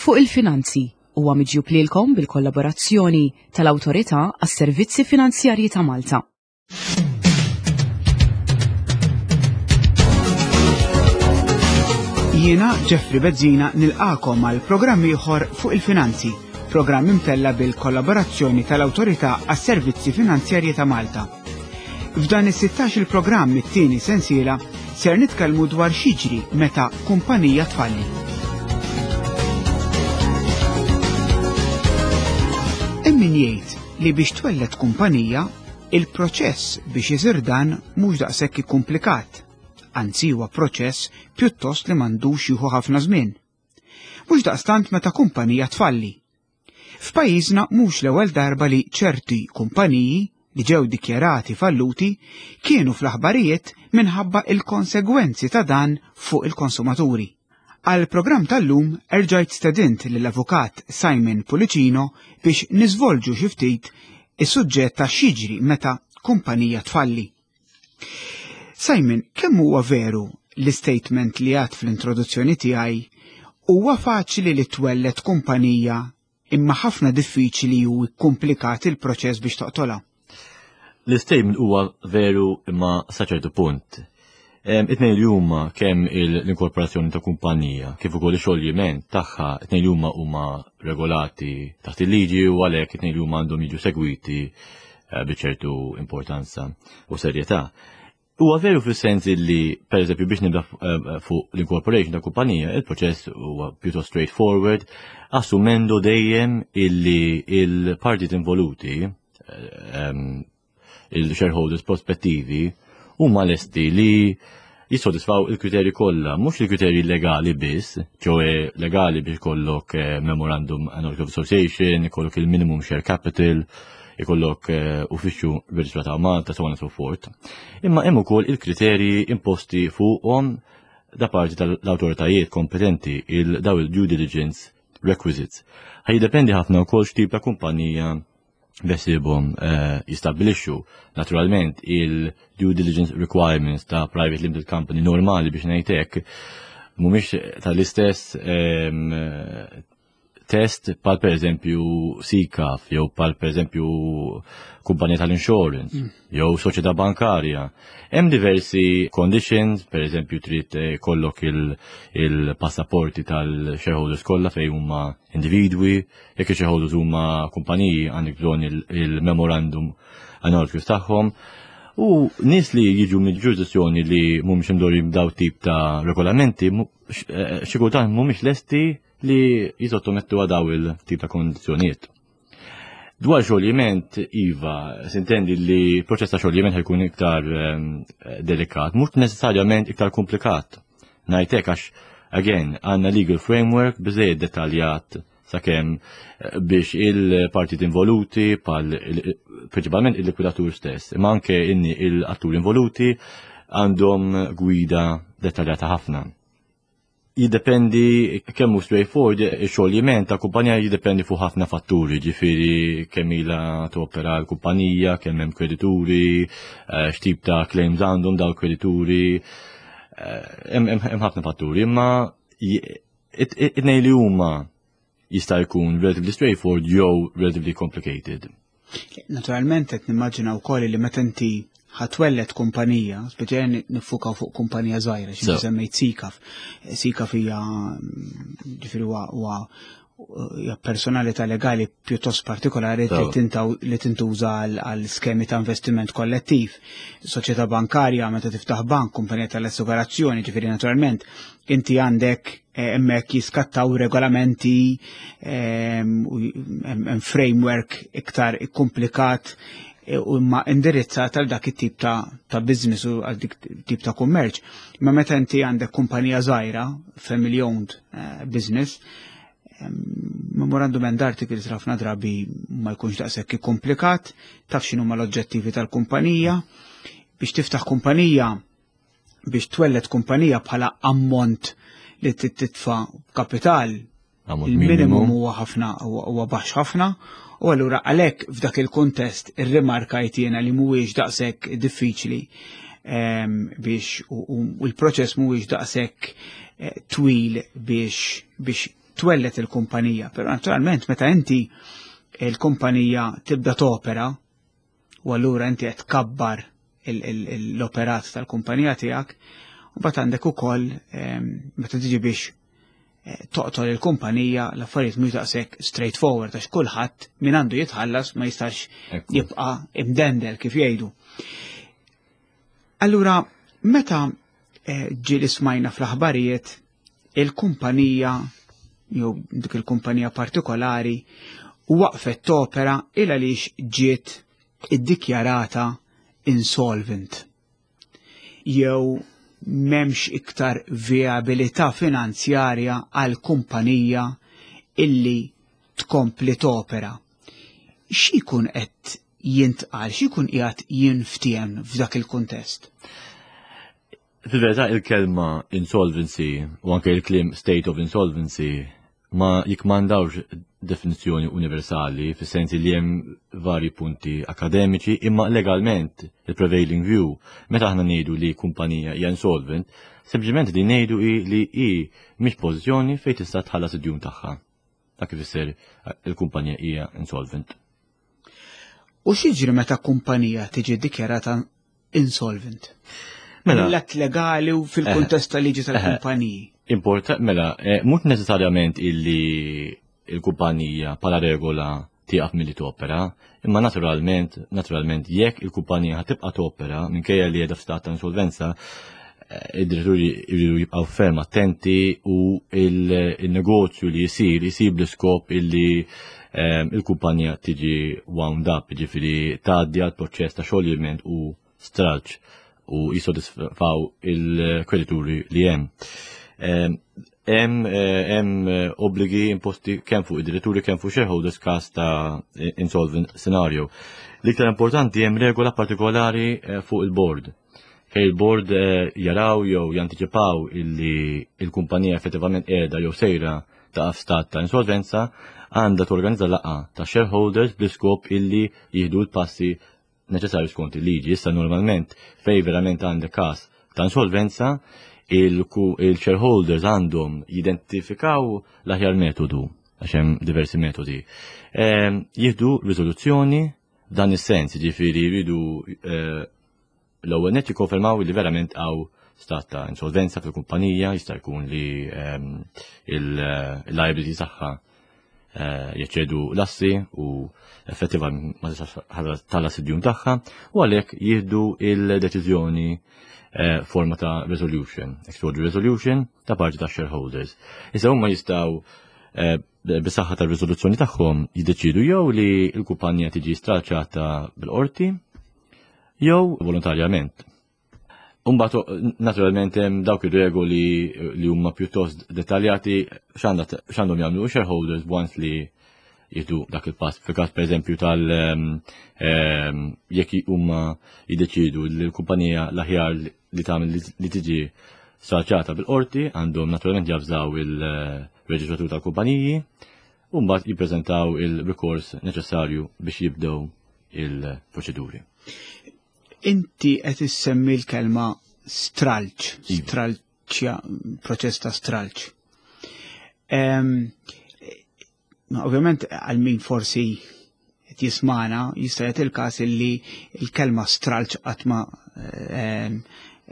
Fuq il-Finanzi huwa miġjub lilkom bil-kollaborazzjoni tal-Awtorità għas-Servizzi Finanzjarji ta' Malta. Jiena Jeffrey Bezzina nilqakom għal programm ieħor fuq il-finanzi, programm imtella bil-kollaborazzjoni tal-Awtorità għas-Servizzi Finanzjarji ta' Malta. F'dan is-16 il-programm it-tieni sensiela ser nitkellmu dwar x'jiġri meta kumpanija tfalli. Hemm min jgħid li biex twelled kumpanija, il-proċess biex isir dan mhux daqshekk ikkumplikat, anzi huwa proċess pjuttost li m'għandux jieħu ħafna żmien. Mhux daqstant meta kumpanija tfalli. F'pajjiżna mhux l-ewwel darba li ċerti kumpaniji li ġew dikjarati falluti kienu fl-aħbarijiet minħabba il-konsegwenzi ta' dan fuq il-konsumaturi. Għall-programm tal-lum erġajt stedint lill-Avukat Simon Pullicino biex niżvolġu xi ftit is-suġġett ta' x'jiġri meta kumpanija tfalli. Simon, kemm huwa veru l-istatement li għad fl-introduzzjoni tiegħi huwa faċli li twelled kumpanija imma ħafna diffiċli u kkumplikat il-proċess biex toqtolha? L-istatement huwa veru imma sa ċertu punt. It-tnejn li huma kemm l-inkorporazzjoni ta' kumpanija kif ukoll ix-xoljiment tagħha it-tnejn li huma huma regolati taħt il-liġi u għalhekk it-tnejn li huma għandhom jiġu segwiti eh, bi ċertu importanza u serjetà. Huwa veru fis-sens li, per eżempju, biex nibda eh, fuq l-incorporation ta' kumpanija, il-proċess huwa pjuttost straightforward, assumendo dejjem illi il-partit involuti eh, il-shareholders prospettivi huma lesti li jissodisfaw il-kriterji kollha, mhux il-kriterji legali biss, ċoe legali biex ikollok eh, memorandum and article of association, ikollok il-minimum share capital, ikollok eh, uffiċċju reġistrat ta' Malta, so on and so forth. Imma hemm ukoll il-kriterji imposti fuqhom da parti tal-awtoritajiet kompetenti il-daw il-due diligence requisites. Ħaj jiddependi ħafna wkoll x'tip ta' kumpanija besibhom eh, jistabbilixxu naturalment il-due diligence requirements ta' private limited company normali biex ngħid hekk mhumiex tal-istess ehm, test pal per eżempju SICAF jew pal per eżempju kumpanija tal-insurance mm. jew soċjetà bankarja. Hemm diversi conditions, per eżempju trid eh, kollok il-passaporti il tal-shareholders kollha fejn huma individwi, Jekk ix-shareholders huma kumpaniji għandek bżonn il-memorandum analysis tagħhom. U nies li jiġu minn ġurisdizzjoni li mhumiex imdorri b'daw tip ta' regolamenti, eh, xi kultant mhumiex lesti li jisottomettu għal daw il-tip ta' kondizzjonijiet. Dwar xoljiment, Iva, sintendi li proċess ta' xoljiment ħajkun iktar ehm, delikat, mhux neċessarjament iktar komplikat. Ngħidlek għax again għandna legal framework biżejjed dettaljat sakemm eh, biex il-partit involuti pal prinċipalment il-likwidatur stess, imma anke inni il-attur involuti għandhom gwida dettaljata ħafna. Jiddependi kemm hu straightforward ix-xoljiment ta' kumpanija jiddependi fuq ħafna fatturi, ġifieri kemm ilha topera l-kumpanija, kemm hemm kredituri, eh, x'tip ta' claims għandhom daw kredituri, eh, hemm ħafna fatturi, imma it-tnejn li huma jista' jkun relatively straightforward jew relatively complicated. Naturalment qed nimmaġina wkoll li meta inti ħatwellet kumpanija, speċjalment nifukaw fuq kumpanija żgħira, xi semmejt Sikaf. Sikaf hija ġifieri huwa hija personalità legali pjuttost partikolari li tintuża għal skemi ta' investiment kollettiv. Soċjetà bankarja meta tiftaħ bank, kumpanija tal-assigurazzjoni, ġifieri naturalment inti għandek eh, hemmhekk jiskattaw regolamenti ehm, hemm framework iktar komplikat eh, u imma indirizzat għal dak it-tip ta', ta business u għal dik tip ta' kummerċ. Ma meta inti għandek kumpanija żgħira, family owned eh, business, ehm, memorandum and articles ħafna drabi ma jkunx daqshekk komplikat, taf x'inhuma l-oġġettivi tal-kumpanija. Biex tiftaħ kumpanija biex twelled kumpanija bħala ammont li titfa kapital il-minimum huwa ħafna huwa baxx ħafna u allura għalhekk f'dak il-kuntest irrimarka jiena li mhuwiex daqshekk diffiċli ehm, biex u l-proċess mhuwiex daqshekk eh, twil biex biex twellet il-kumpanija. Però naturalment meta inti il-kumpanija tibda topera u allura inti qed tkabbar l-operat tal-kumpanija tiegħek, u bat għandek ukoll ehm, meta tiġi biex eh, toqtol il-kumpanija l-affarijiet mhux daqshekk straightforward għax kulħadd min għandu jitħallas ma jistax jibqa' imdendel kif jgħidu. Allura, meta eh, ġieli smajna fl-aħbarijiet il-kumpanija jew dik il-kumpanija partikolari waqfet topera il għaliex ġiet iddikjarata insolvent jew memx iktar viabilità finanzjarja għal kumpanija illi tkompli topera. X'ikun qed jintqal, x'ikun qiegħed jinftiehem f'dak il-kuntest? Fil-verità il-kelma insolvency u anke il-kliem state of insolvency ma jikmandawx definizzjoni universali fis-sens li hemm vari punti akademiċi imma legalment il-prevailing view meta aħna ngħidu li kumpanija hija insolvent, sempliċement li ngħidu hi li hi mhix pożizzjoni fejn tista' tħallas id-djun tagħha. Dak ifisser il-kumpanija hija insolvent. U x'jiġri meta kumpanija tiġi dikjarata insolvent? Mela, Mill-att legali u fil-kuntest tal-liġi tal-kumpaniji. Importa, mela, eh, mhux neċessarjament illi il-kumpanija pala regola tieqaf milli topera, imma naturalment, naturalment jekk il-kumpanija tibqa' topera minkejja li qiegħda f'stat ta' insolvenza, eh, id-diretturi jridu jibqgħu ferm attenti u il-negozju li jisir jisir bl-iskop illi eh, il-kumpanija tiġi wound up, ġifieri tgħaddi għal proċess ta' xoljiment u stralċ u jisodisfaw il-kredituri li hemm. Eh, hemm hemm obbligi imposti kemm fuq id-diretturi kemm fuq shareholders każ ta' insolvent scenario. L-iktar importanti hemm regola partikolari fuq il-board Fejn il-board eh, jaraw jew jantiċipaw illi il-kumpanija effettivament qiegħda jew sejra ta' stat ta' insolvenza, għandha torganizza laqgħa ta' shareholders bl-iskop illi jieħdu l-passi neċessarju skont il-liġi. Issa normalment fej verament għandek każ ta' insolvenza, il-shareholders għandhom jidentifikaw l-aħjar metodu, għax hemm diversi metodi. Ehm, jieħdu riżoluzzjoni dan is-sens, ġifieri jridu eh, l-ewwel nett jikkonfermaw li verament hawn stat ta' insolvenza fil-kumpanija, jista' jkun li ehm, il-liability tagħha eh, jeċċedu l-assi u effettiva ma tistax tħallas id-djun tagħha u għalhekk jieħdu il-deċiżjoni eh, forma ta' resolution, extraordinary resolution ta' parti ta' shareholders. Issa huma jistgħu eh, bis-saħħa tar-riżoluzzjoni tagħhom jiddeċidu jew li l-kumpanija tiġi stralċata bil-qorti jew volontarjament. Umbat, naturalment, hemm dawk ir-regoli li huma pjuttost dettaljati x'għandhom jagħmlu shareholders once li jieħdu dak il-pass. Fil-każ pereżempju tal ehm, ehm, jekk huma jiddeċidu li l-kumpanija l-aħjar li tagħmel li tiġi stralċata bil-qorti għandhom naturalment javżaw il-reġistratur tal-kumpaniji u mbagħad jippreżentaw il-rikors neċessarju biex jibdew il-proċeduri. Inti qed issemmi l-kelma stralċ, iva. stralċja, proċess ta' stralċ. Ovvjament għal min forsi qed jismana jista' jagħti il-każ illi l-kelma stralċ qatt ma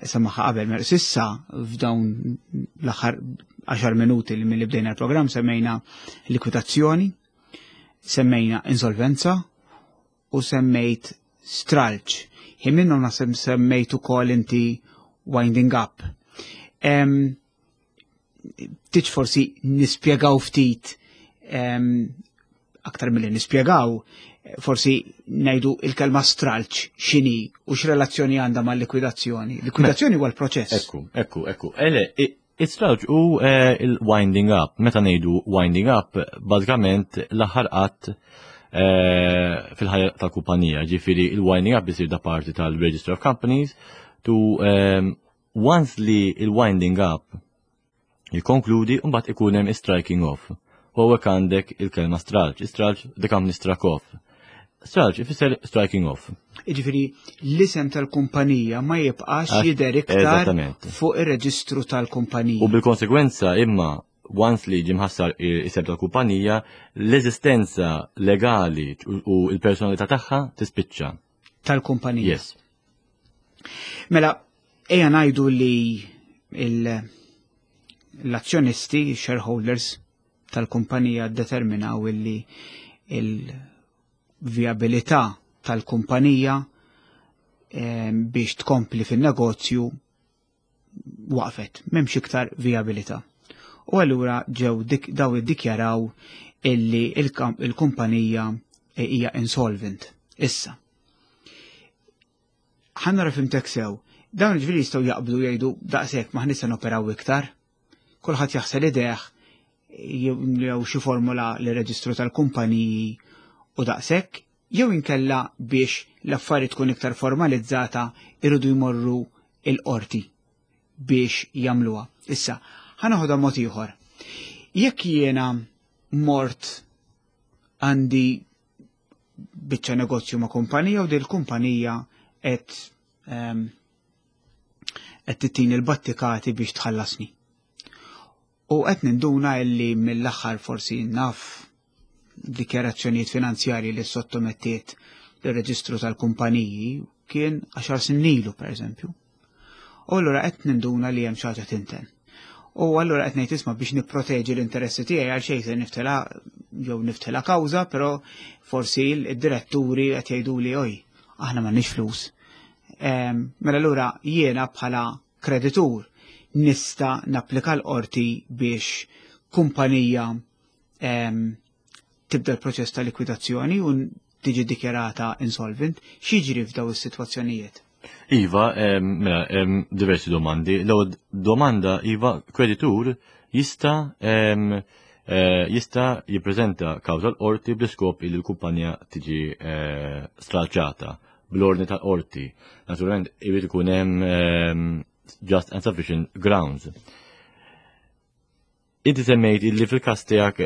semaħa qabel. Mela sissa f'dawn l-aħħar 10 minuti li mill bdejna l-programm semmejna likwidazzjoni, semmejna insolvenza u semmejt stralċ. Ħin minnhom naħseb semmejt ukoll inti winding up. Tiġ forsi nispjegaw ftit aktar milli nispjegaw, forsi ngħidu il-kelma stralċ x'inhi u x'relazzjoni għandha mal-likwidazzjoni. Likwidazzjoni huwa l-proċess. Ekku, ekku, ekku. Ele, It-stralċ u eh, il-winding up. Meta ngħidu winding up, bażikament l-aħħar qatt eh, fil-ħajja tal-kumpanija, ġifieri il-winding up isir da parti tal-Register of Companies to eh, once li il-winding up jikonkludi mbagħad ikun hemm striking off. U hawnhekk għandek il-kelma stralċ, stralċ the company struck off. Stralċ ifisser striking off. Jiġifieri l-isem tal-kumpanija ma jibqax jidher iktar fuq ir-reġistru tal-kumpanija. U bil-konsekwenza imma once li ġie mħassar isem tal-kumpanija, l-eżistenza legali u l-personalità tagħha tispiċċa. Tal-kumpanija. Yes. Mela, ejja ngħidu li l-azzjonisti, shareholders tal-kumpanija determinaw illi il-vijabilità tal-kumpanija biex tkompli fin-negozju waqfet, m'hemmx iktar vijabilità. U allura ġew daw iddikjaraw illi il-kumpanija hija insolvent. Issa. Ħa nara fhimtek sew, dawn ġifieri jistgħu jaqbdu jgħidu daqshekk ma ħnista noperaw iktar. Kulħadd jaħsel idejh jew xi formula li reġistru tal-kumpaniji u daqshekk, jew inkella biex l-affari tkun iktar formalizzata irridu jmorru il-qorti biex jagħmluha. Issa, ħa noħodha mod ieħor. Jekk jiena mort għandi biċċa negozju ma' kumpanija u dil kumpanija qed qed tittini l-battikati biex tħallasni. U qed ninduna illi mill-aħħar forsi naf dikjarazzjonijiet finanzjarji li sottomettiet l-reġistru tal-kumpaniji kien 10 snin ilu per eżempju. U allura qed ninduna li hemm xi ħaġa tinten. U allura qed ngħid isma' biex nipproteġi l-interessi tiegħi għal xejn se niftela jew niftela kawża, però forsi d-diretturi qed jgħiduli oj, aħna m'għandniex flus. Mela allura jiena bħala kreditur nista' napplika l-qorti biex kumpanija tibda l-proċess ta' likwidazzjoni u tiġi dikjarata insolvent, x'jiġri f'daw is-sitwazzjonijiet? Iva, mela, diversi domandi. L-ewwel domanda, iva, kreditur jista' jista' jippreżenta kawża l-qorti bl-iskop li l-kumpanija tiġi stralċata bl-ordni tal-qorti. Naturalment, irid ikun hemm just and sufficient grounds. Inti semmejt li fil-każ tiegħek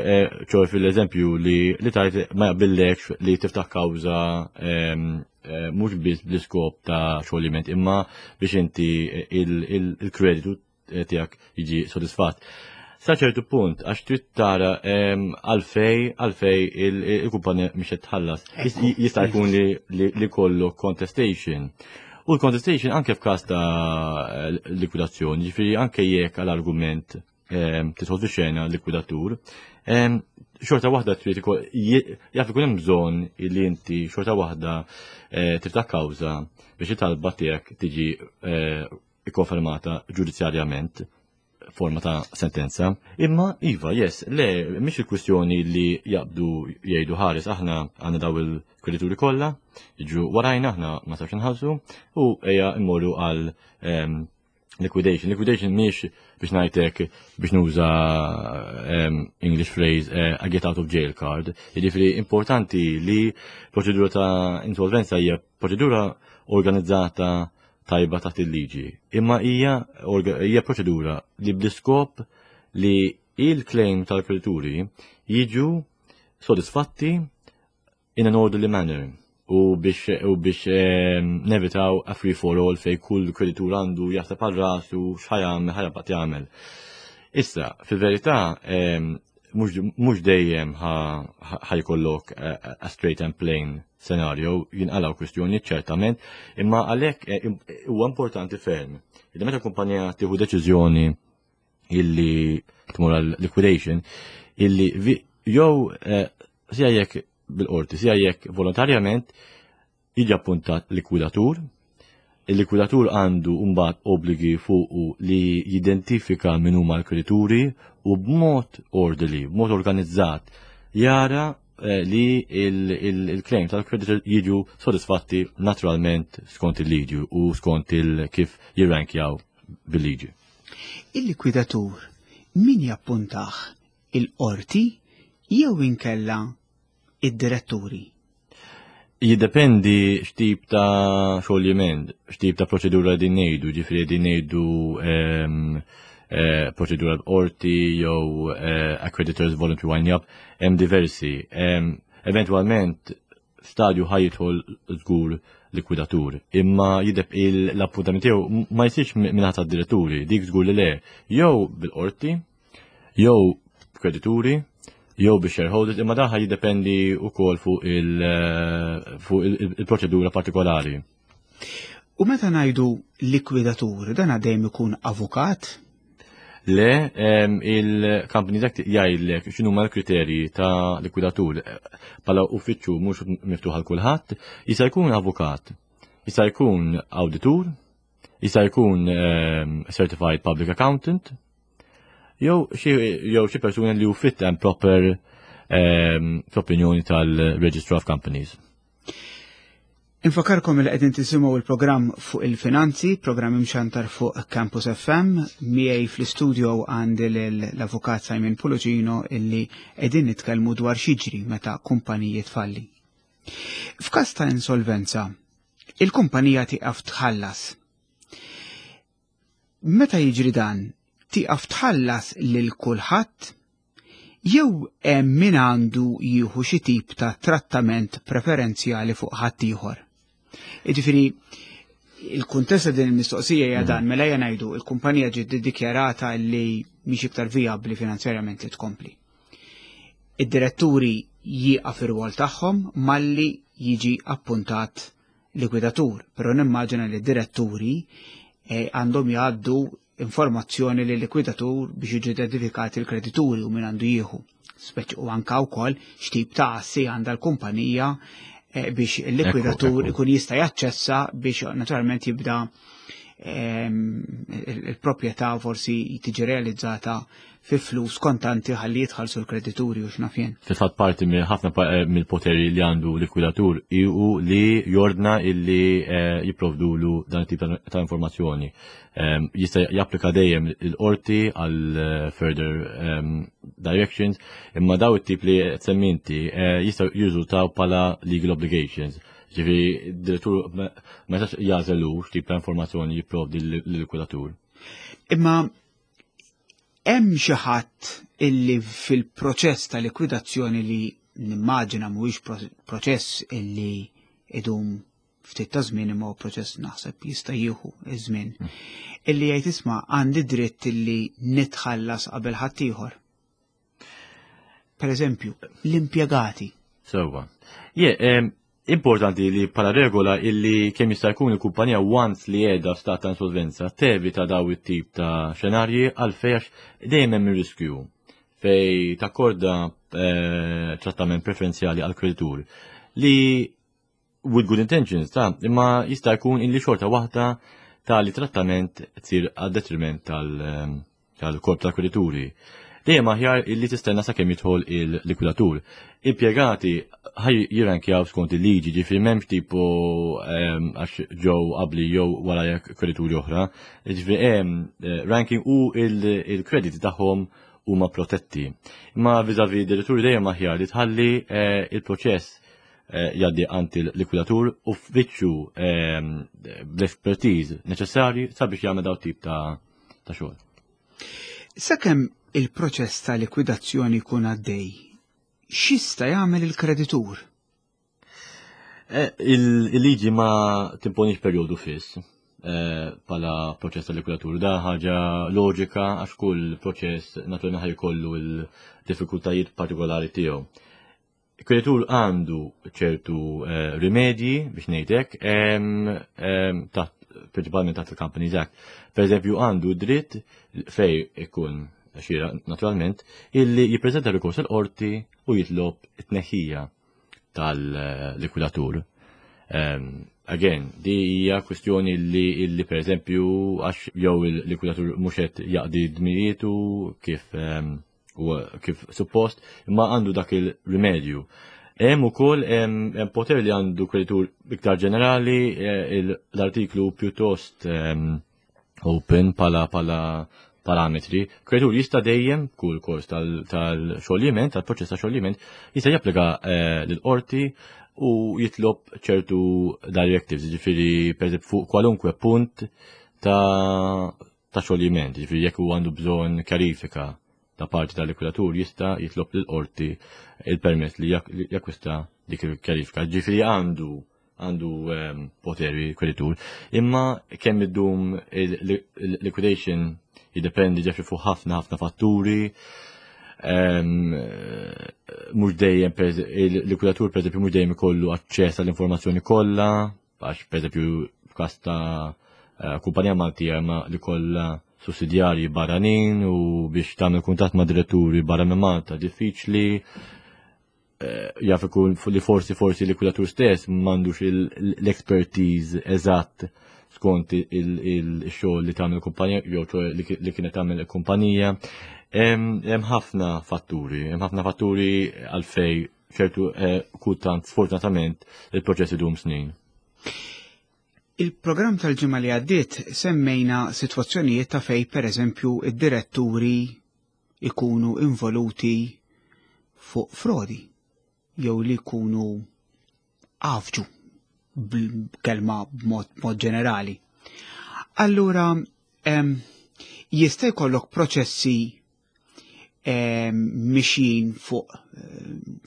ċoj fil-eżempju li tajt ma jaqbillekx li tiftaħ kawża mhux biss bl-iskop ta' xolliment imma biex inti il-kreditu tiegħek jiġi sodisfatt. Sa ċertu punt, għax trid tara għalfej il-kumpanija mhix qed tħallas. Jista' jkun li kollu contestation. U l-contestation anke f'każ ta' likwidazzjoni, ġifieri anke jekk għal-argument tidħol fi xena likwidatur, xorta waħda trid jaf ikun hemm bżonn li inti xorta waħda tiftaħ kawża biex it-talba tiegħek tiġi ikkonfermata ġudizzjarjament forma ta' sentenza. Imma, iva, yes, le, mhix il-kwistjoni li jaqbdu jgħidu ħares aħna għandna daw il-kredituri kollha, jiġu warajna aħna ma sawx inħallsu u ejja immorru għal liquidation. Liquidation mhix biex ngħidlek biex nuża English phrase a get out of jail card. Jiġifieri importanti li proċedura ta' insolvenza hija proċedura organizzata tajba taħt il-liġi. Imma hija proċedura li bl-iskop li il-claim tal-kredituri jiġu sodisfatti in an orderly manner u biex nevitaw a free for all fej kull kreditur għandu jaħseb għal rasu x'ħa jagħmel ħa jabqad jagħmel. Issa, fil-verità, mhux dejjem ħa jkollok a straight and plain scenario, jinqalaw kwistjoni ċertament, imma għalhekk huwa importanti ferm. Illi meta kumpanija tieħu deċiżjoni illi tmur għal liquidation, illi jew sia jekk bil-qorti, sia jekk volontarjament jiġi appuntat likwidatur. Il-likwidatur għandu mbagħad obbligi fuqu li jidentifika min huma l-kredituri u b'mod orderly, b'mod organizzat, jara li il-claim tal-kreditor jiġu sodisfatti naturalment skont il-liġi u skont il-kif jirrankjaw bil-liġi. Il-likwidatur min jappuntah, il-qorti jew inkella id-diretturi? Jiddependi x'tip ta' xoljiment, x'tip ta' proċedura din ngħidu, ġifieri din ngħidu proċedura b'qorti jew creditors voluntary wind up, hemm diversi. Eventualment stadju ħa jidħol żgur likwidatur, imma jideb l-appuntament tiegħu ma jsirx mingħata d-diretturi, dik żgur li le, jew bil-qorti. Jew kredituri, jew bi shareholders, imma dan jiddependi wkoll fuq il-proċedura partikolari. U meta ngħidu likwidatur, dan dejjem ikun avukat? Le, il-Companies Act jgħidlek x'inhuma l-kriterji ta' likwidatur. Bħala uffiċċju mhux miftuħ għal kulħadd, jista' jkun avukat, jista' jkun awditur, jista' jkun certified public accountant, jew xi persuna li hu fit and proper fl-opinjoni tal-Registrar of Companies. Infakarkom li qegħdin tisimgħu il-programm fuq il-finanzi, programm imxantar fuq Campus FM, miegħi fl-istudio għandi l-avukat Simon Pullicino illi qegħdin nitkellmu dwar x'jiġri meta kumpaniji tfalli. F'każ ta' insolvenza, il-kumpanija tieqaf tħallas. Meta jiġri dan, tieqaf tħallas lil kulħadd jew hemm min għandu jieħu xi tip ta' trattament preferenzjali fuq ħaddieħor. Jiġifieri il-kuntest ta' din il-mistoqsija hija dan mela ejja ngħidu il-kumpanija ġiet iddikjarata li mhix iktar vijabbli finanzjarjament li tkompli. Id-diretturi jieqaf ir-rwol tagħhom malli jiġi appuntat likwidatur, però nimmaġina li d-diretturi għandhom jgħaddu informazzjoni lil likwidatur biex jiġu identifikati l-kredituri u min għandu jieħu. Speċi u anka wkoll x'tip ta' assi għandha l-kumpanija biex il-likwidatur ikun jista' jaċċessa biex naturalment jibda il-proprjetà forsi tiġi realizzata fi flus kontanti ħalli jitħallsu l-kredituri u x'naf jien. Fil-fatt parti minn ħafna mill-poteri li għandu likwidatur hu li jordna illi jipprovdulu dan it-tip ta' informazzjoni. Jista' japplika dejjem il-qorti għal further directions, imma daw it-tip li qed semmi inti jistgħu jirriżultaw bħala legal obligations. Ġifieri d-direttur ma jistax jagħżel hu x'tip ta' informazzjoni jipprovdi lill-likwidatur. Imma hemm xi ħadd illi fil-proċess ta' likwidazzjoni li nimmaġina mhuwiex proċess illi idum ftit ta' żmien imma proċess naħseb jista' jieħu iż-żmien, illi jgħid isma' għandi dritt illi nitħallas qabel ħaddieħor. Per eżempju, l-impjegati. Sewwa. Importanti li bħala regola illi kemm jista' jkun il-kumpanija once li qiegħda f'stat ta' insolvenza tevita daw it-tip ta' xenarji għalfejn għax dejjem hemm ir-riskju fej takkorda trattament preferenzjali għal kreditur li with good intentions ta' imma jista' jkun illi xorta waħda tali trattament tsir għad detriment tal-korp tal-kredituri. Dejjem aħjar illi tistenna sakemm jidħol il-likwidatur. Impjegati ħaj jirrankjaw skont il-liġi, ġifieri m'hemmx tipo għax ġew qabli jew wara jekk kredituri oħra. Ġifieri hemm ranking u il-krediti tagħhom huma protetti. Imma viżavi diretturi dejjem aħjar li tħalli il-proċess jgħaddi għand il-likwidatur u f'wiċċu bl-expertise neċessarji sabiex jagħmel daw tip ta' xogħol. Sakemm il-proċess ta' likwidazzjoni jkun għaddej, x'jista' jagħmel il-kreditur? Il-liġi ma timponix perjodu fiss bħala proċess ta' likwidatur. Da ħaġa loġika għax kull proċess naturalment ħaj jkollu l-diffikultajiet partikolari tiegħu. Il-kreditur għandu ċertu rimedji biex ngħidlek, taħt prinċipalment taħt il-Companies Act. Per eżempju, għandu dritt fej ikun xira naturalment illi jippreżenta rikors il-qorti u jitlob it-tneħħija tal-likwidatur. Again, di hija kwestjoni li per eżempju għax jew il-likwidatur mhux qed jaqdi dmirijietu u kif suppost, imma għandu dak il-rimedju. Hemm ukoll hemm poter li għandu kreditur iktar ġenerali, l-artiklu pjuttost open pala parametri. Kreditur jista' dejjem kull kors tal-xoljiment, tal-proċess ta' xoljiment, jista' japplika lill-qorti u jitlob ċertu directives, ġifieri per eżempju fuq kwalunkwe punt ta' xoljiment, ġifieri jekk huwa għandu bżonn kjarifika ta' parti tal-likwidatur jista' jitlob lill-qorti il-permess li jakkwista dik il-kjarifika. Ġifieri għandu poteri kreditur. Imma kemm iddum il-liquidation jiddependi ġifieri fuq ħafna ħafna fatturi. Mhux dejjem il-likwidatur pereżempju mhux dejjem ikollu aċċess għall-informazzjoni kollha, għax pereżempju f'każ ta' kumpanija Maltija ma li kollha sussidjarji barranin u biex tagħmel kuntatt ma' diretturi barra minn Malta diffiċli. Jaf ikun li forsi forsi likwidatur stess m'għandux l-expertise eżatt skont il-xogħol li tagħmel kumpanija jew li kienet tagħmel kumpanija. Hemm ħafna fatturi, hemm ħafna fatturi għalfej ċertu kultant sfortunatament il-proċess idum snin. Il-programm tal-ġimgħa li għaddiet semmejna sitwazzjonijiet ta' fej pereżempju id-diretturi ikunu involuti fuq frodi jew li jkunu għafġu b'kelma b'mod ġenerali. Allura jista' jkollok proċessi mixjin fuq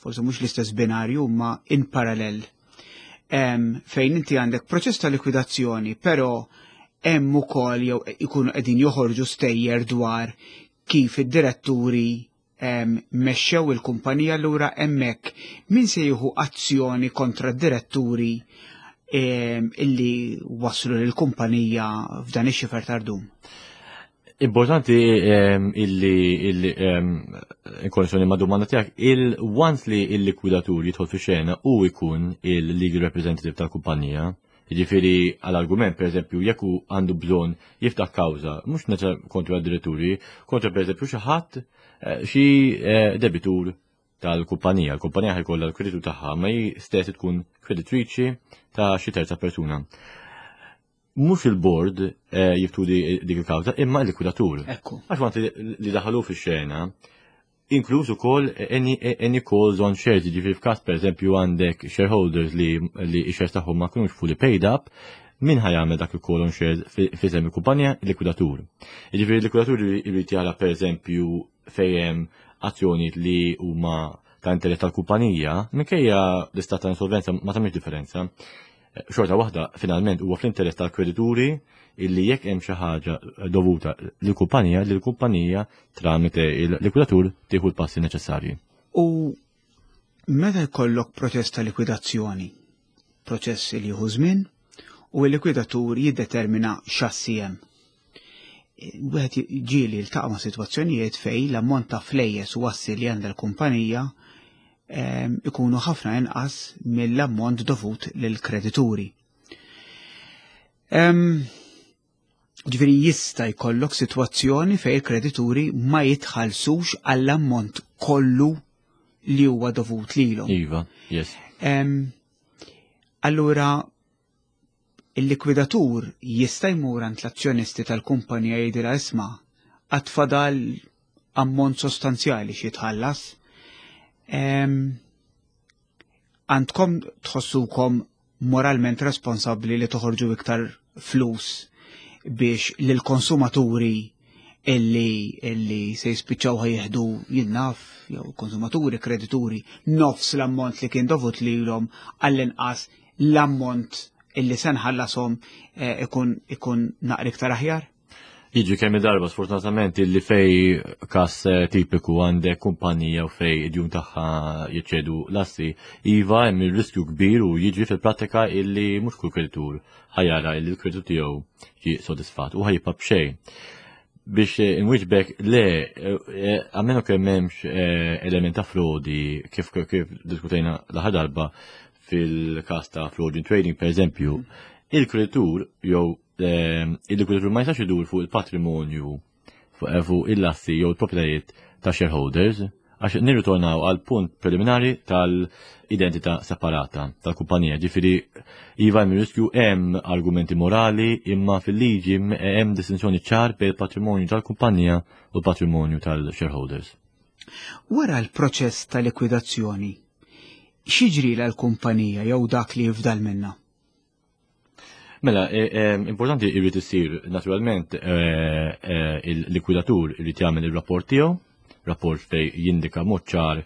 forsi mhux l-istess binarju ma in parallel fejn inti għandek proċess ta' likwidazzjoni, però hemm ukoll jew ikunu qegħdin joħorġu stejjer dwar kif id-diretturi mexxew il-kumpanija. Allura hemmhekk min se jieħu azzjoni kontra d-diretturi illi waslu lill-kumpanija f'dan ix-xifer tardum? Importanti illi in ma' domanda tiegħek, il-once li il-likwidatur jidħol fi xena u jkun il-legal representative tal-kumpanija, jiġifieri għal-argument, per eżempju, jekk hu għandu bżonn jiftaħ kawża, mhux kontra d-diretturi, kontra per eżempju xi ħadd xi debitur tal-kumpanija. Il-kumpanija ħajkollha l-kreditu tagħha, ma hi stess tkun kreditriċi ta' xi terza persuna. Mhux il-board jiftu dik il-kawża, imma l-likwidatur. Għax waqt li daħalu fix-xena, inkluż ukoll any calls on shares, jiġifieri f'każ pereżempju għandek shareholders li x-shares tagħhom ma kinux fully paid up, min ħa jagħmel dak il-call on shares f'isem il-kumpanija? Il-likwidatur. Jiġifieri l-likwidatur jrid jara pereżempju fejn hemm azzjonijiet li huma ta' interess tal-kumpanija, minkejja l-istat ta' insolvenza ma tagħmilx differenza. Xorta waħda finalment huwa fl-interess tal-kredituri illi jekk hemm xi ħaġa dovuta lill-kumpanija, li l-kumpanija tramite il-likwidatur tieħu l-passi neċessarji. U meta jkollok proċess ta' likwidazzjoni, proċess li jieħu żmien, u l-likwidatur jiddetermina x'assi hemm. Wieħed ġieli jiltaqa' ma' sitwazzjonijiet fejn l-ammont ta' flejjes u assi li għandha l-kumpanija ikunu ħafna inqas mill-ammont dovut lill-kredituri. Ġifieri jista' jkollok sitwazzjoni fejn il-kredituri ma jitħallsux għall-ammont kollu li huwa dovut lilhom. Iva, yes. Allura il-likwidatur jista' jmur għand l-azzjonisti tal-kumpanija jgħidilha isma' għad fadal ammont sostanzjali xi jitħallas. Għandkom tħossukom moralment responsabbli li toħorġu iktar flus biex lill-konsumaturi illi se jispiċċaw ħajjeħdu jinnaf, jew konsumaturi, kredituri, nofs l-ammont li kien dovut lilhom għall-inqas l-ammont illi se nħallasom ikun naqra iktar aħjar? Jiġi kemm darba sfortunatament illi fej kas tipiku għandek kumpanija u fej id-djun tagħha jiċċedu l-assi, iva hemm ir-riskju kbir u jiġri fil-prattika illi mhux kull kreditur ħajara illi l-kreditu tiegħu ġie sodisfatt u ħajibqa' b'xejn. Biex inwiġbek le, għalmenu kemm m'hemmx element ta' frodi kif diskutejna l-aħħar darba fil-każ ta' fraud in trading per eżempju, il-kreditur jew il-likwidatur ma jistax idur fuq il-patrimonju fuq il-assi jew il-proprjetajiet ta' shareholders, għax nirritornaw għal punt preliminari tal-identità separata tal-kumpanija. Ġifieri iva hemm riskju, hemm argumenti morali, imma fil-liġi hemm distinzjoni ċar bejn il-patrimonju tal-kumpanija u l-patrimonju tal-shareholders. Wara l-proċess ta' likwidazzjoni, x'jiġri l-kumpanija jew dak li jifdal minnha? Mela, importanti jrid isir naturalment il-likwidatur irid jagħmel ir-rapport tiegħu, rapport fej jindika mod ċar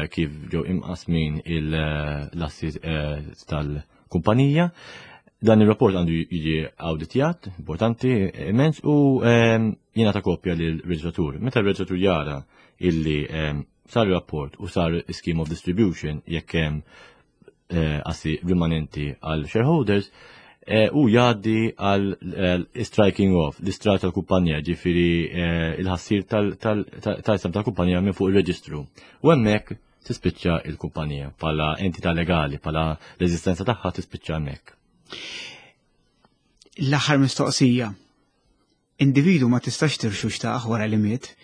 kif ġew imqasmin l-assi tal-kumpanija. Dan ir-rapport għandu jiġi awditjat, importanti immens, u jingħata kopja lill-reġistratur. Meta r-reġistratur jara illi sar rapport u sar scheme of distribution jekk hemm eh, assi rimanenti għal shareholders eh, u jgħaddi għal eh, striking off, l-istrat tal-kumpanija, ġifiri il-ħassir tal-isem tal-kumpanija minn fuq il-reġistru. U hemmhekk tispiċċa il-kumpanija pala entità legali, pala l-eżistenza tagħha tispiċċa hemmhekk. L-aħħar mistoqsija. Individu ma tistax tirxuxtah wara li miet,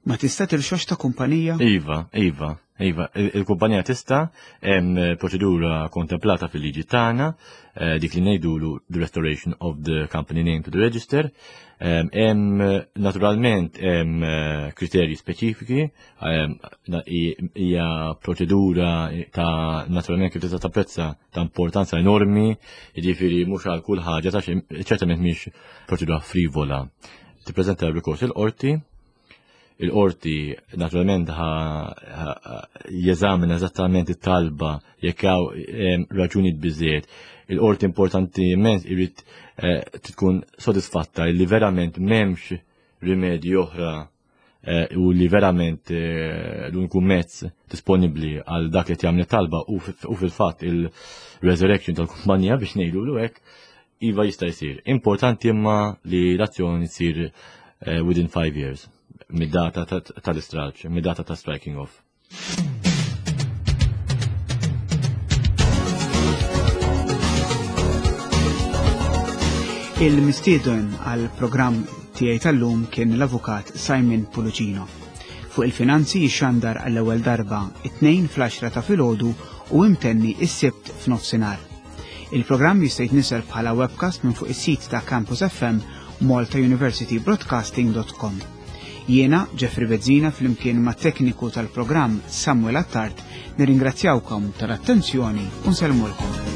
ma tista' tirxoxta kumpanija? Iva, iva, iva. Il-kumpanija tista' hemm proċedura kontemplata fil-liġi tagħna, eh, dik li ngħidulu the restoration of the company name to the register. Hemm naturalment hemm eh, kriterji speċifiki, hija proċedura ta' naturalment kif tista' tapprezza ta' importanza enormi, jiġifieri mhux għal kull ħaġa ta' ċertament mhix proċedura frivola. Tippreżenta r-rikors il-qorti, il-qorti naturalment jeżamina eżattament it-talba jekk hawn raġunijiet biżejjed. Il-qorti importanti immens irid eh, tkun sodisfatta li verament m'hemmx rimedji oħra Eh, u li verament eh, l-uniku mezz disponibbli għal dak li jagħmel talba u fil-fatt il-resurrection tal-kumpanija biex ngħidu l hekk iva jista' jsir. Importanti imma li l-azzjoni tsir eh, within five years mid-data tal-istraġ, mid-data ta' striking off. Il-mistieden għal programm tiegħi tal-lum kien l-avukat Simon Pullicino. Fuq il-finanzi jixxandar għall-ewwel darba it-tnejn fl-10 ta' filgħodu u imtenni is-sibt f'nofsinhar. Il-programm jista' jitnisel bħala webcast minn fuq is-sit ta' Campus FM maltauniversitybroadcasting.com. Jiena, Jeffrey Bezzina, flimkien mat-tekniku tal-programm Samuel Attard, nirringrazzjawkom tal-attenzjoni u nsellmulkom.